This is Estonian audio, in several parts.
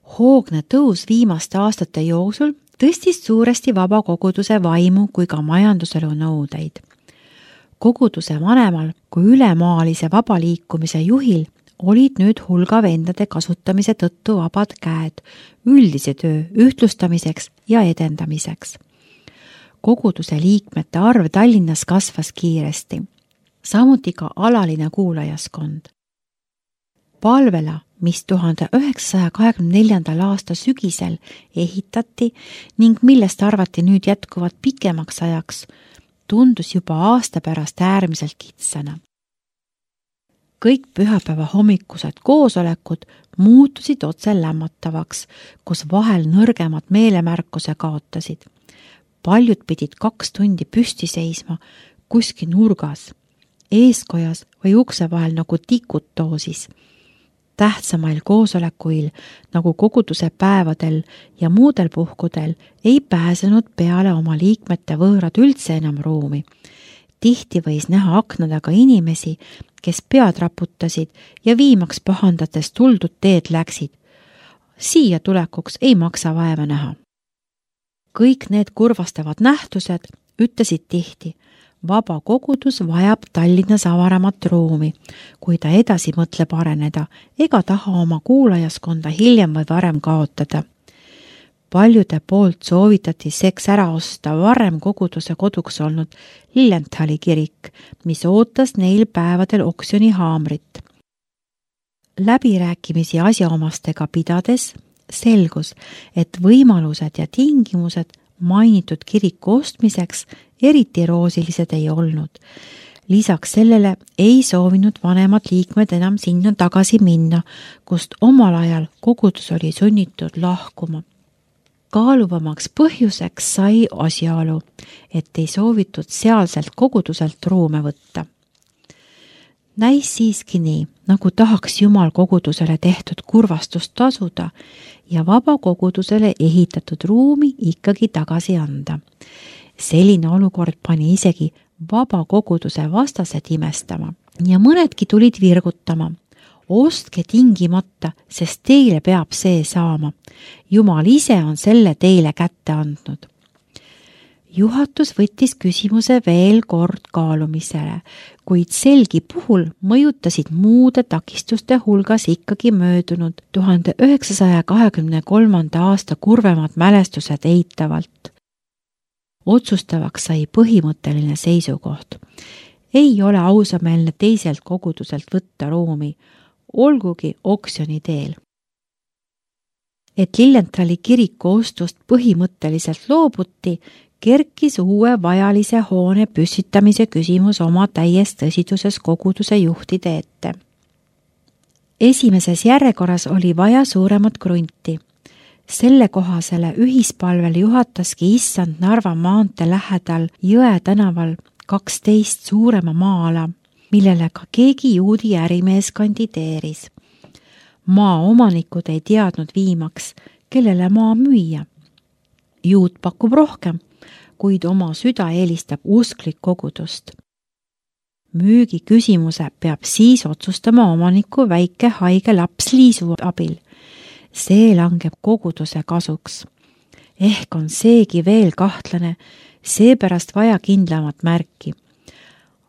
Hoogne tõus viimaste aastate jooksul tõstis suuresti vabakoguduse vaimu kui ka majanduselu nõudeid. Koguduse vanemal kui ülemaalise vabaliikumise juhil olid nüüd hulga vendade kasutamise tõttu vabad käed üldise töö ühtlustamiseks ja edendamiseks. Koguduse liikmete arv Tallinnas kasvas kiiresti, samuti ka alaline kuulajaskond. Palvela, mis 1924. aasta sügisel ehitati ning millest arvati nüüd jätkuvat pikemaks ajaks, tundus juba aasta pärast äärmiselt kitsana. Kõik pühapäeva hommikused koosolekud muutusid otse lämmatavaks, kus vahel nõrgemad meelemärkuse kaotasid. Paljud pidid 2 tundi püsti seisma kuskil nurgas, eeskojas või ukse vahel nagu tikut doosis. Tähtsamail koosolekuil nagu koguduse päevadel ja muudel puhkudel ei pääsenud peale oma liikmete võõrad üldse enam ruumi. Tihti võis näha akna taga inimesi, kes pead raputasid ja viimaks pahandates tuldud teed läksid. Siia tulekuks ei maksa vaeva näha. Kõik need kurvastavad nähtused ütlesid tihti, vaba kogudus vajab Tallinnas avaramat ruumi, kui ta edasi mõtleb areneda ega taha oma kuulajaskonda hiljem või varem kaotada. Paljude poolt soovitati seks ära osta varem koguduse koduks olnud Lillenthali kirik, mis ootas neil päevadel oksjoni haamrit. Läbirääkimisi asjaomastega pidades selgus, et võimalused ja tingimused mainitud kiriku ostmiseks eriti roosilised ei olnud. Lisaks sellele ei soovinud vanemad liikmed enam sinna tagasi minna, kust omal ajal kogudus oli sunnitud lahkuma. Kaaluvamaks põhjuseks sai asjaolu, et ei soovitud sealselt koguduselt ruume võtta. Näis siiski nii, nagu tahaks Jumal kogudusele tehtud kurvastust tasuda ja vaba kogudusele ehitatud ruumi ikkagi tagasi anda. Selline olukord pani isegi vaba koguduse vastased imestama ja mõnedki tulid virgutama. Ostke tingimata, sest teile peab see saama. Jumal ise on selle teile kätte andnud. Juhatus võttis küsimuse veel kord kaalumisele, kuid selgi puhul mõjutasid muude takistuste hulgas ikkagi möödunud 1923. aasta kurvemad mälestused eitavalt. Otsustavaks sai põhimõtteline seisukoht. Ei ole ausameelne teiselt koguduselt võtta ruumi, olgugi oksjoni teel. Et Lillenthali kiriku ostust põhimõtteliselt loobuti, kerkis uue vajalise hoone püssitamise küsimus oma täies tõsiduses koguduse juhtide ette. Esimeses järjekorras oli vaja suuremat krunti. Selle kohasele ühispalvel juhataski issand Narva maantee lähedal Jõe tänaval 12 suurema maa-ala, millele ka keegi juudi ärimees kandideeris. Maa omanikud ei teadnud viimaks, kellele maa müüa. Juut pakub rohkem, kuid oma süda eelistab usklik kogudust. Müügi küsimuse peab siis otsustama omaniku väike haige laps Liisu abil. See langeb koguduse kasuks. Ehk on seegi veel kahtlane, seepärast vaja kindlamat märki.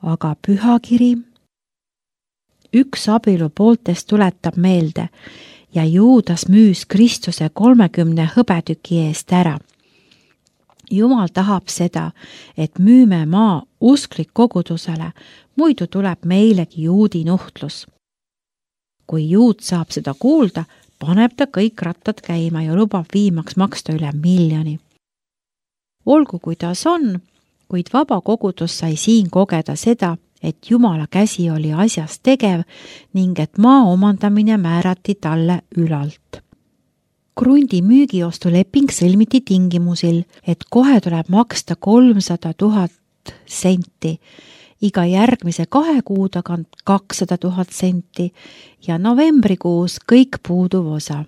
Aga pühakiri? Üks abielu pooltest tuletab meelde ja Juudas müüs Kristuse 30 hõbetüki eest ära. Jumal tahab seda, et müüme maa usklik kogudusele, muidu tuleb meilegi juudi nuhtlus. Kui juut saab seda kuulda, paneb ta kõik rattad käima ja lubab viimaks maksta üle 1 miljoni. Olgu kuidas on, kuid vaba kogudus sai siin kogeda seda, et Jumala käsi oli asjas tegev ning et maa omandamine määrati talle ülalt. Krundi müügiostuleping sõlmiti tingimusil, et kohe tuleb maksta 300 000 senti, iga järgmise 2 kuu tagant 200 000 senti ja novembrikuus kõik puuduv osa.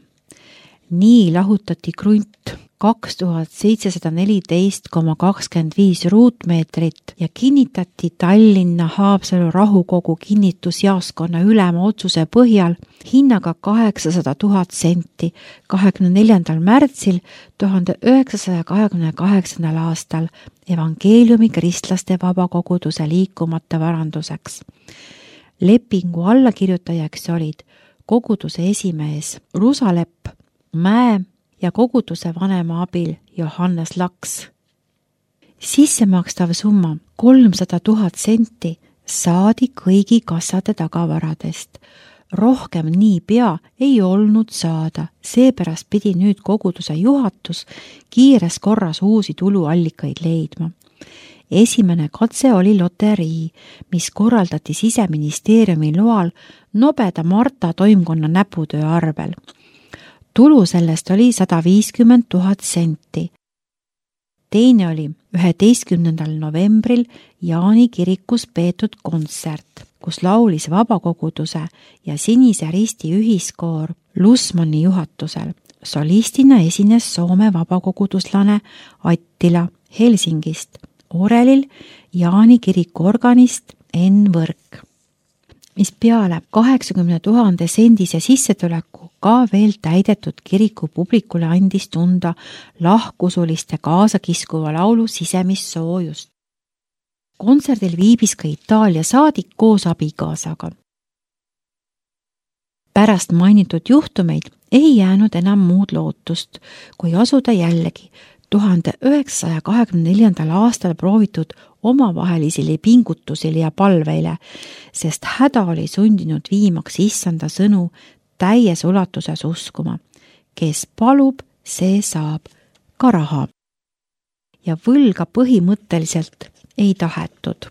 Nii lahutati krunt 2714,25 ruutmeetrit ja kinnitati Tallinna Haapsalu rahukogu kinnitusjaoskonna ülema otsuse põhjal hinnaga 800 000 senti 24. märtsil 1928. aastal evangeeliumi kristlaste vabakoguduse liikumata varanduseks. Lepingu allakirjutajaks olid koguduse esimees Rusalepp Mäe ja koguduse vanema abil Johannes Laks. Sissemakstav summa 300 000 senti saadi kõigi kassade tagavaradest. Rohkem niipea ei olnud saada, seepärast pidi nüüd koguduse juhatus kiires korras uusi tuluallikaid leidma. Esimene katse oli loterii, mis korraldati Siseministeeriumi loal nobeda Marta toimkonna näputöö arvel. Tulu sellest oli 150 000 senti. Teine oli 11. novembril Jaani kirikus peetud kontsert, kus laulis vabakoguduse ja Sinise Risti ühiskoor Lusmani juhatusel. Solistina esines Soome vabakoguduslane Attila Helsingist, orelil Jaani kiriku organist Enn Võrk, mis peale 80 000 sendise sissetuleku ka veel täidetud kiriku publikule andis tunda lahkusuliste kaasakiskuva laulu sisemist soojust. Kontserdil viibis ka Itaalia saadik koos abikaasaga. Pärast mainitud juhtumeid ei jäänud enam muud lootust, kui asuda jällegi 1924. aastal proovitud omavahelisele pingutusele ja palveile, sest häda oli sundinud viimaks issanda sõnu täies ulatuses uskuma. Kes palub, see saab ka raha. Ja võlga põhimõtteliselt ei tahetud.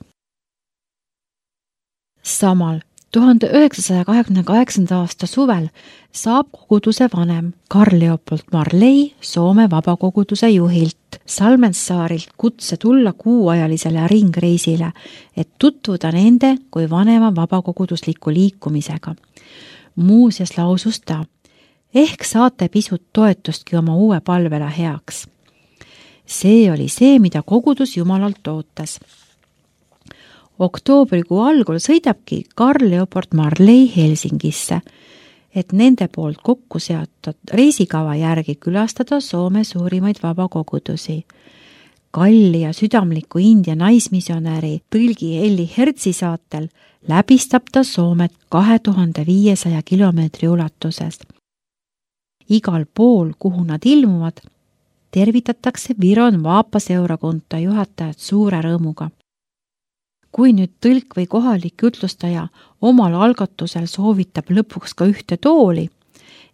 Samal 1928. aasta suvel saab koguduse vanem Karl Leopold Marley Soome vabakoguduse juhilt Salmensaarilt kutse tulla kuuajalisele ringreisile, et tutvuda nende kui vanema vabakogudusliku liikumisega. Muuseas lausus ta, ehk saate pisut toetustki oma uue palvele heaks. See oli see, mida kogudus Jumalalt ootas. Oktoobrikuu algul sõidabki Karl Leopold Marley Helsingisse, et nende poolt kokku seatud reisikava järgi külastada Soome suurimaid vabakogudusi. Kalli ja südamliku India naismisjonäri tõlgi Elli Hertsi saatel läbistab ta Soomet 2500 kilomeetri ulatuses. Igal pool, kuhu nad ilmuvad, tervitatakse Viron Vaapaseurakunta juhatajat suure rõõmuga. Kui nüüd tõlk või kohalik jutlustaja omal algatusel soovitab lõpuks ka ühte tooli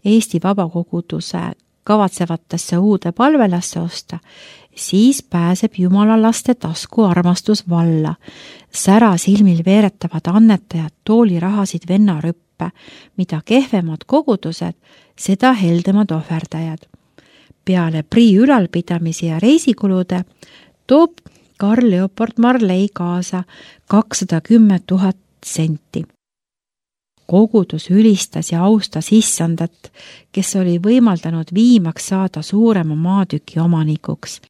Eesti vabakoguduse kavatsevatesse uude palvelasse osta, siis pääseb Jumala laste tasku armastus valla. Sära silmil veeretavad annetajad toolirahasid vennarüppe, mida kehvemad kogudused, seda heldemad ohverdajad. Peale prii ülalpidamise ja reisikulude toob Karl Leopold Marley kaasa 210 000 senti. Kogudus ülistas ja austas issandat, kes oli võimaldanud viimaks saada suurema maatüki omanikuks.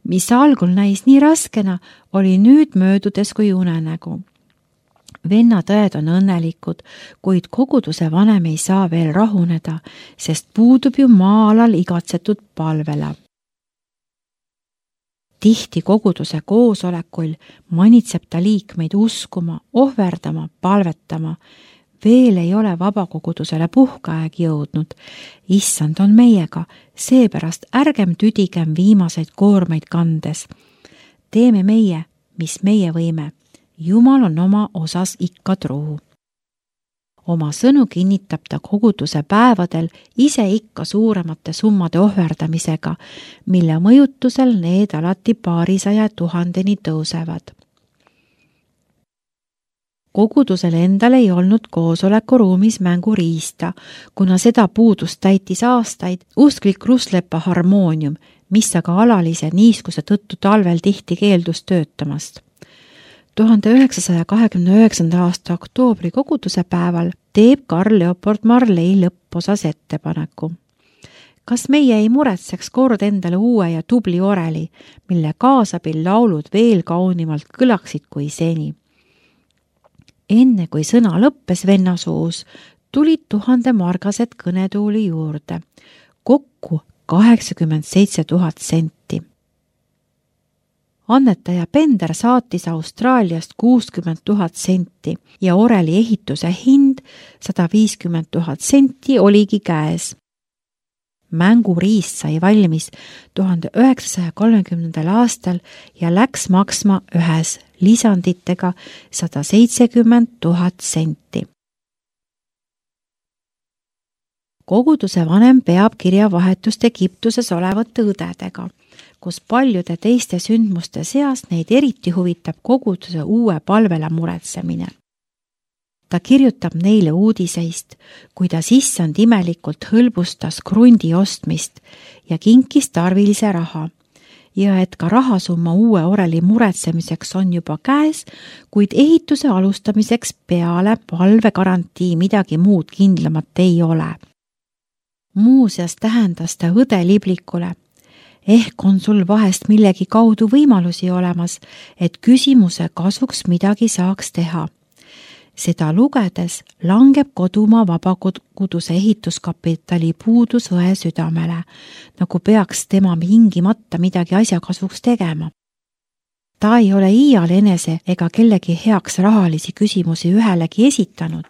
Mis algul näis nii raskena, oli nüüd möödudes kui unenägu. Vennatõed on õnnelikud, kuid koguduse vanem ei saa veel rahuneda, sest puudub ju maa-alal igatsetud palvela. Tihti koguduse koosolekuil manitseb ta liikmeid uskuma, ohverdama, palvetama. Veel ei ole vabakogudusele puhkeaeg jõudnud. Issand on meiega, seepärast ärgem tüdigem viimaseid koormeid kandes. Teeme meie, mis meie võime. Jumal on oma osas ikka truu. Oma sõnu kinnitab ta koguduse päevadel ise ikka suuremate summade ohverdamisega, mille mõjutusel need alati 200 000 tõusevad. Kogudusel endal ei olnud koosolekuruumis mänguriista, kuna seda puudust täitis aastaid usklik Ruslepa harmoonium, mis aga alalise niiskuse tõttu talvel tihti keeldus töötamast. 1929. aasta oktoobri koguduse päeval teeb Karl Leopold Marley lõpposas ettepaneku. Kas meie ei muretseks kord endale uue ja tubli oreli, mille kaasabil laulud veel kaunimalt kõlaksid kui seni? Enne kui sõna lõppes venna suus, tulid 1000 margased kõnetuuli juurde, kokku 87 000 senti. Annetaja Pender saatis Austraaliast 60 000 senti ja oreli ehituse hind 150 000 senti oligi käes. Mänguriist sai valmis 1930. aastal ja läks maksma ühes lisanditega 170 000 senti. Koguduse vanem peab kirjavahetust Egiptuses olevate õdedega, kus paljude teiste sündmuste seas neid eriti huvitab koguduse uue palvele muretsemine. Ta kirjutab neile uudiseist, kuidas issand imelikult hõlbustas krundi ostmist ja kinkis tarvilise raha ja et ka rahasumma uue oreli muretsemiseks on juba käes, kuid ehituse alustamiseks peale palvegarantii midagi muud kindlamat ei ole. Muuseas tähendas ta õde Liblikule, ehk on sul vahest millegi kaudu võimalusi olemas, et küsimuse kasuks midagi saaks teha. Seda lugedes langeb kodumaa vabakoguduse ehituskapitali puudus õe südamele, nagu peaks tema hingimata midagi asja kasuks tegema. Ta ei ole iial enese ega kellegi heaks rahalisi küsimusi ühelegi esitanud,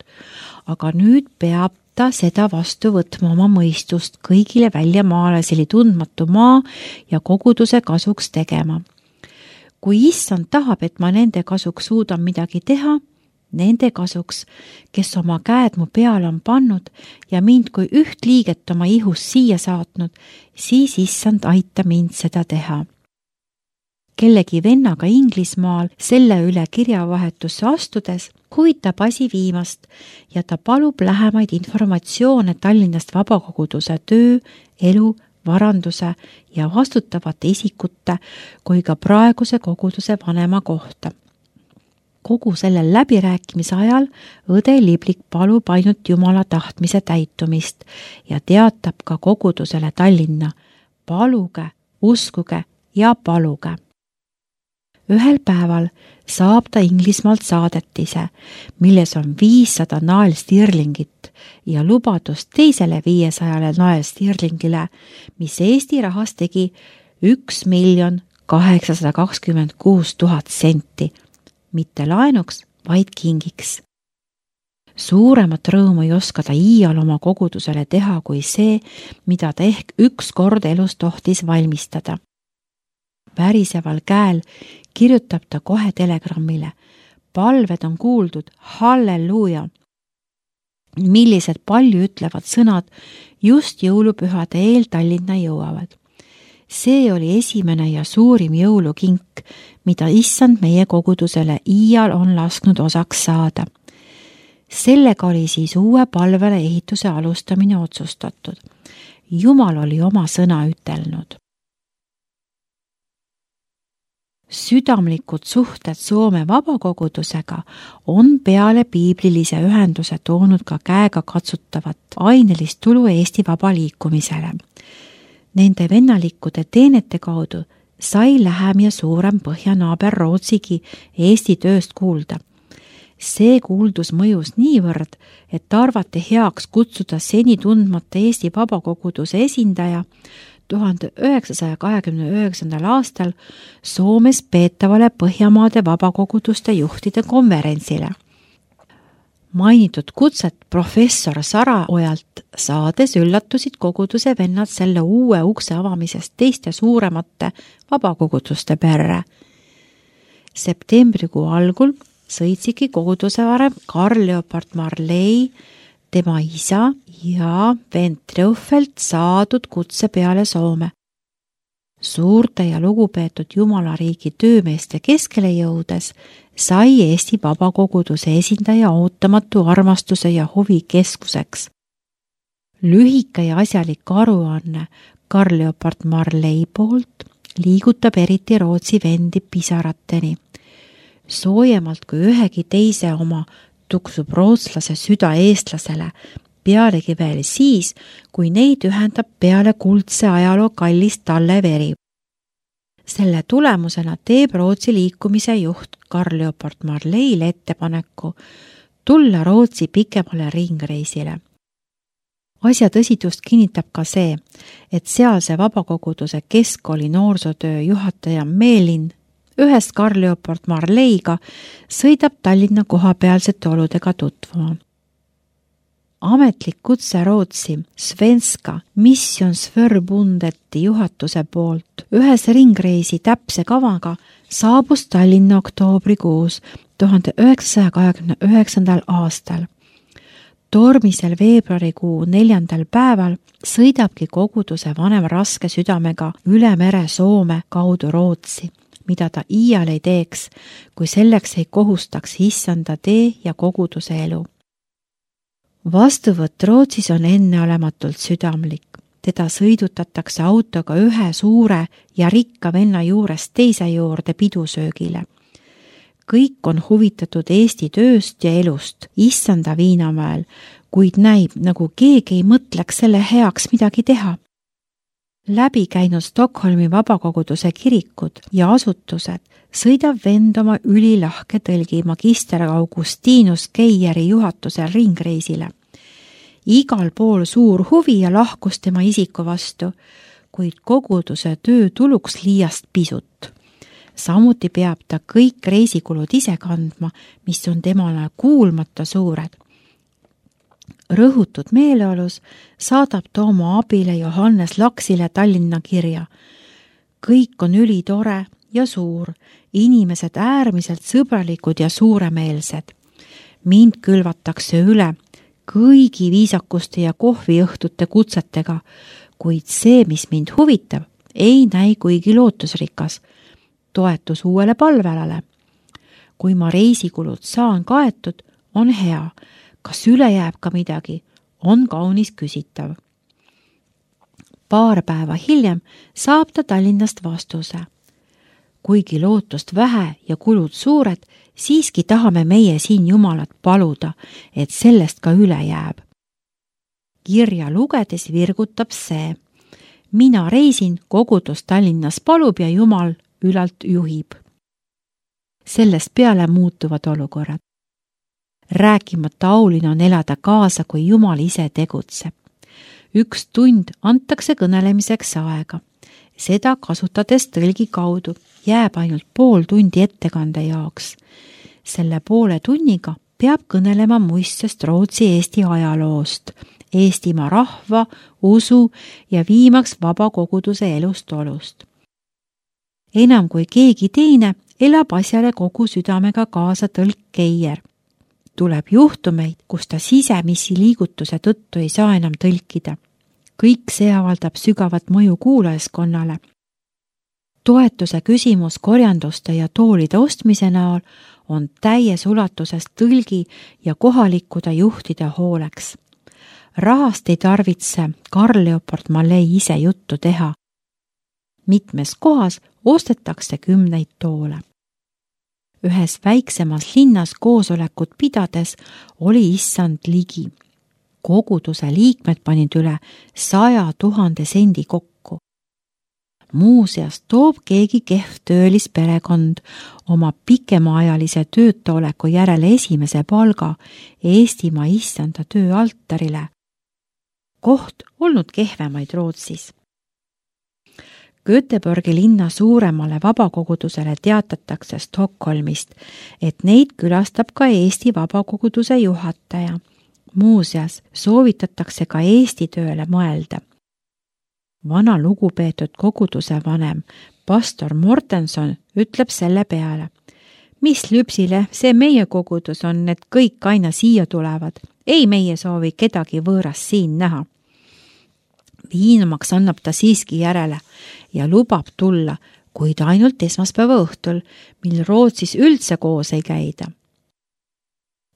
aga nüüd peab ta seda vastu võtma oma mõistust kõigile väljamaalaseli tundmatu maa ja koguduse kasuks tegema. Kui issand tahab, et ma nende kasuks suudan midagi teha, nende kasuks, kes oma käed mu peale on pannud ja mind kui üht liiget oma ihus siia saatnud, siis issand aita mind seda teha. Kellegi vennaga Inglismaal selle üle kirjavahetusse astudes huvitab asi viimast ja ta palub lähemaid informatsioone Tallinnast vabakoguduse töö, elu, varanduse ja vastutavate isikute kui ka praeguse koguduse vanema kohta. Kogu sellel läbirääkimise ajal õde Liblik palub ainult Jumala tahtmise täitumist ja teatab ka kogudusele Tallinna, paluge, uskuge ja paluge. Ühel päeval saab ta Inglismaalt saadetise, milles on 500 naelstirlingit ja lubadus teisele 500 naelstirlingile, mis Eesti rahas tegi 1 826 000 senti, mitte laenuks, vaid kingiks. Suuremat rõõmu ei oska ta iial oma kogudusele teha kui see, mida ta ehk üks kord elus tohtis valmistada. Väriseval käel kirjutab ta kohe telegrammile. Palved on kuuldud, halleluuja! Millised palju ütlevad sõnad just jõulupühade eel Tallinna jõuavad. See oli esimene ja suurim jõulukink, mida issand meie kogudusele iial on lasknud osaks saada. Sellega oli siis uue palvele ehituse alustamine otsustatud. Jumal oli oma sõna ütelnud. Südamlikud suhted Soome vabakogudusega on peale piiblilise ühenduse toonud ka käega katsutavat ainelist tulu Eesti vaba liikumisele. Nende vennalikkude teenete kaudu sai lähem ja suurem põhjanaaber Rootsigi Eesti tööst kuulda. See kuuldus mõjus niivõrd, et arvati heaks kutsuda seni tundmata Eesti vabakoguduse esindaja 1929. aastal Soomes peetavale Põhjamaade vabakoguduste juhtide konverentsile. Mainitud kutset professor Saraojalt saades üllatusid koguduse vennad selle uue ukse avamisest teiste suuremate vabakoguduste perre. Septembrikuu algul sõitsidki koguduse varem Karl Leopard Marley, tema isa ja vend Treufelt saadud kutse peale Soome. Suurte ja lugupeetud Jumalariigi töömeeste keskele jõudes sai Eesti vabakoguduse esindaja ootamatu armastuse ja huvi keskuseks. Lühike ja asjalik aruanne Karl Leopard Marley poolt liigutab eriti Rootsi vendi pisarateni. Soojemalt kui ühegi teise oma tuksub rootslase süda eestlasele, pealegi veel siis, kui neid ühendab peale kuldse ajaloo kallis talleveri. Selle tulemusena teeb Rootsi liikumise juht Carl Leopold Marleile ettepaneku tulla Rootsi pikemale ringreisile. Asja tõsidust kinnitab ka see, et sealse vabakoguduse keskkooli noorsootöö juhataja Meelin ühest Carl Leopold Marleiga sõidab Tallinna kohapealsete oludega tutvuma. Ametlik kutse Rootsi Svenska Missionsförbundeti juhatuse poolt ühes ringreisi täpse kavaga saabus Tallinna oktoobrikuus 1929. aastal. Tormisel veebruarikuu 4. päeval sõidabki koguduse vanem raske südamega üle mere Soome kaudu Rootsi, mida ta iial ei teeks, kui selleks ei kohustaks issanda tee ja koguduse elu. Vastuvõtt Rootsis on enneolematult südamlik. Teda sõidutatakse autoga ühe suure ja rikka venna juurest teise juurde pidusöögile. Kõik on huvitatud Eesti tööst ja elust issanda Viinamäel, kuid näib, nagu keegi ei mõtleks selle heaks midagi teha. Läbi käinud Stockholmi vabakoguduse kirikud ja asutused sõidab vend oma ülilahke tõlgi magister Augustinus Keieri juhatusel ringreisile. Igal pool suur huvi ja lahkus tema isiku vastu, kuid koguduse töö tuluks liiast pisut. Samuti peab ta kõik reisikulud ise kandma, mis on temale kuulmata suured. Rõhutud meeleolus saadab ta oma abile Johannes Laksile Tallinna kirja. Kõik on ülitore ja suur, inimesed äärmiselt sõbralikud ja suuremeelsed. Mind külvatakse üle kõigi viisakuste ja kohviõhtute kutsetega, kuid see, mis mind huvitab, ei näi kuigi lootusrikas. Toetus uuele palvelale. Kui ma reisikulud saan kaetud, on hea. Kas üle jääb ka midagi, on kaunis küsitav. Paar päeva hiljem saab ta Tallinnast vastuse. Kuigi lootust vähe ja kulud suured, siiski tahame meie siin Jumalat paluda, et sellest ka üle jääb. Kirja lugedes virgutab see. Mina reisin, kogudus Tallinnas palub ja Jumal ülalt juhib. Sellest peale muutuvad olukorrad. Rääkimata aulina on elada kaasa, kui Jumal ise tegutseb. 1 tund antakse kõnelemiseks aega. Seda kasutades tõlgi kaudu jääb ainult pool tundi ettekande jaoks. Selle poole tunniga peab kõnelema muistest Rootsi-Eesti ajaloost, Eestimaa rahva, usu ja viimaks vabakoguduse elust olust. Enam kui keegi teine elab asjale kogu südamega kaasa tõlk Keier. Tuleb juhtumeid, kus ta sisemisi liigutuse tõttu ei saa enam tõlkida. Kõik see avaldab sügavat mõju kuulajaskonnale. Toetuse küsimus korjanduste ja toolide ostmise näol on täies ulatuses tõlgi ja kohalikude juhtide hooleks. Rahast ei tarvitse Carl Leopold Marlei ise juttu teha. Mitmes kohas ostetakse 10 toole. Ühes väiksemas linnas koosolekut pidades oli issand ligi. Koguduse liikmed panid üle 100 000 sendi kokku. Muuseas toob keegi kehv töölisperekond oma pikemaajalise töötaoleku järele esimese palga Eestimaa issanda töö altarile. Koht olnud kehvemaid Rootsis. Göteborgi linna suuremale vabakogudusele teatatakse Stockholmist, et neid külastab ka Eesti vabakoguduse juhataja. Muuseas soovitatakse ka Eesti tööle mõelda. Vana lugupeetud koguduse vanem, pastor Mortenson, ütleb selle peale. Mis lüpsile see meie kogudus on, et kõik aina siia tulevad. Ei meie soovi kedagi võõrast siin näha. Viinamaks annab ta siiski järele ja lubab tulla, kuid ainult esmaspäeva õhtul, mil Rootsis üldse koos ei käida.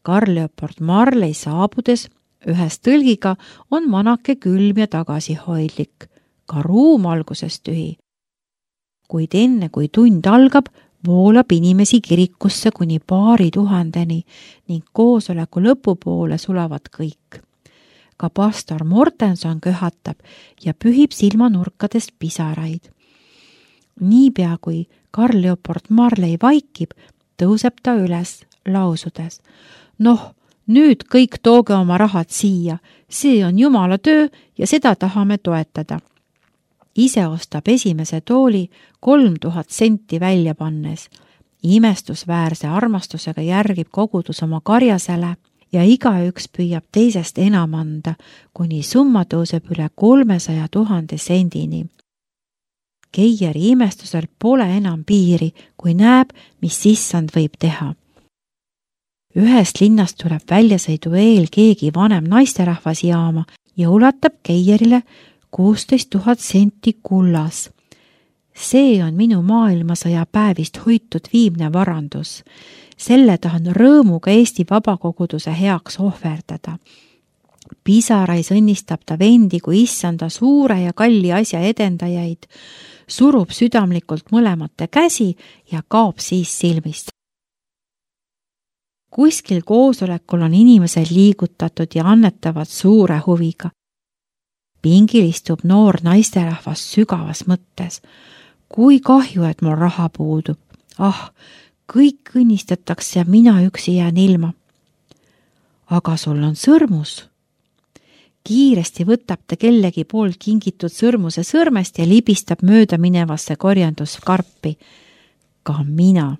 Carl Leopold Marlei saabudes ühes tõlgiga on manake külm ja tagasihoidlik, ka ruum alguses tühi. Kuid enne kui tund algab, voolab inimesi kirikusse kuni 2 000 ning koosoleku lõpupoole sulavad kõik. ka pastor Mortenson köhatab ja pühib silmanurkadest pisaraid. Niipea kui Carl Leopold Marley vaikib, tõuseb ta üles lausudes: "Noh, nüüd kõik tooge oma rahad siia, see on Jumala töö ja seda tahame toetada." Ise ostab esimese tooli 3000 senti välja pannes. Imestusväärse armastusega järgib kogudus oma karjasele ja igaüks püüab teisest enam anda, kuni summa tõuseb üle 300 000 sendini. Keieri imestusel pole enam piiri, kui näeb, mis issand võib teha. Ühest linnast tuleb väljasõidu eel keegi vanem naisterahvas jaama ja ulatab Keierile 16 000 senti kullas. See on minu maailmasõja päevist hoitud viimne varandus. Selle tahan rõõmuga Eesti vabakoguduse heaks ohverdada. Pisarais õnnistab ta vendi kui issanda suure ja kalli asja edendajaid, surub südamlikult mõlemate käsi ja kaob siis silmist. Kuskil koosolekul on inimesed liigutatud ja annetavad suure huviga. Pingil istub noor naisterahvas sügavas mõttes. Kui kahju, et mul raha puudub. Kõik õnnistatakse ja mina üksi jään ilma. Aga sul on sõrmus. Kiiresti võtab ta kellegi poolt kingitud sõrmuse sõrmest ja libistab mööda minevasse korjanduskarpi. Ka mina.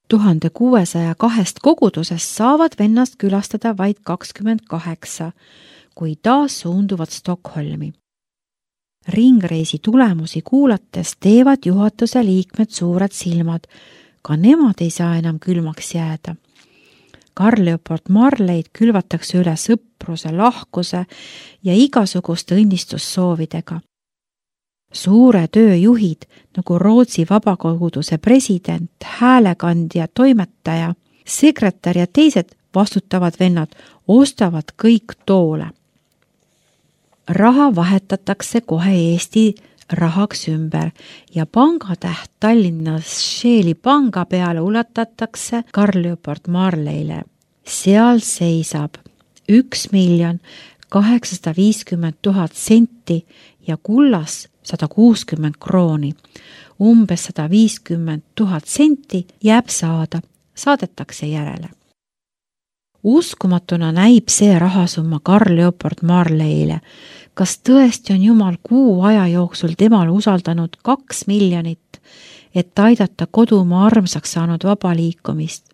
1602 kogudusest saavad vennast külastada vaid 28, kui taas suunduvad Stockholmi. Ringreisi tulemusi kuulates teevad juhatuse liikmed suured silmad. Ka nemad ei saa enam külmaks jääda. Carl Leopold Marleyd külvatakse üle sõpruse, lahkuse ja igasuguste õnnistussoovidega. Suure töö juhid, nagu Rootsi vabakoguduse president, häälekandja, toimetaja, sekretär ja teised vastutavad vennad, ostavad kõik toole. Raha vahetatakse kohe Eesti rahaks ümber ja pangatäht Tallinna Scheeli panga peale ulatatakse Carl Leopold Marleyle. Seal seisab 1 850 000 senti ja kullas 160 krooni. Umbes 150 000 senti jääb saada, saadetakse järele. Uskumatuna näib see rahasumma Carl Leopold Marleyle. Kas tõesti on Jumal kuu aja jooksul temale usaldanud 2 miljonit, et aidata kodumaa armsaks saanud vabaliikumist?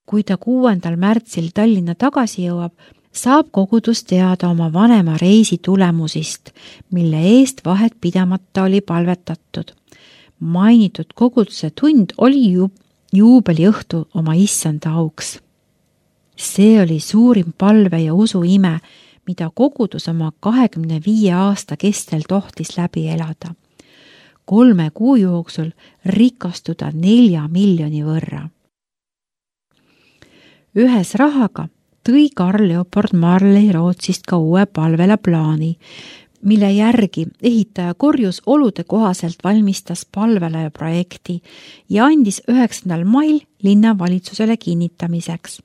Kui ta 6. märtsil Tallinna tagasi jõuab, saab kogudus teada oma vanema reisi tulemusist, mille eest vahet pidamata oli palvetatud. Mainitud koguduse tund oli juubeliõhtu oma issanda auks. See oli suurim palve ja usu ime, mida kogudus oma 25 aasta kestel tohtis läbi elada. 3 kuu jooksul rikastuda 4 miljoni võrra. Ühes rahaga tõi Carl Leopold Marley Rootsist ka uue palvela plaani, mille järgi ehitaja korjus olude kohaselt valmistas palvela projekti ja andis 9. mail linnavalitsusele kinnitamiseks.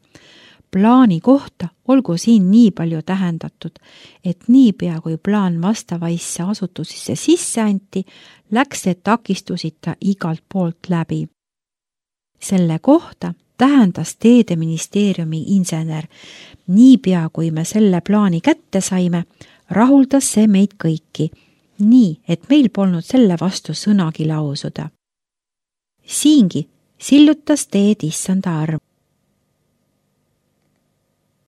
Plaani kohta olgu siin nii palju tähendatud, et niipea kui plaan vastavaisse asutusisse sisse anti, läks see takistusita igalt poolt läbi. Selle kohta tähendas teedeministeeriumi insener. Niipea kui me selle plaani kätte saime, rahuldas see meid kõiki, nii et meil polnud selle vastu sõnagi lausuda. Siingi sillutas teed issanda arm.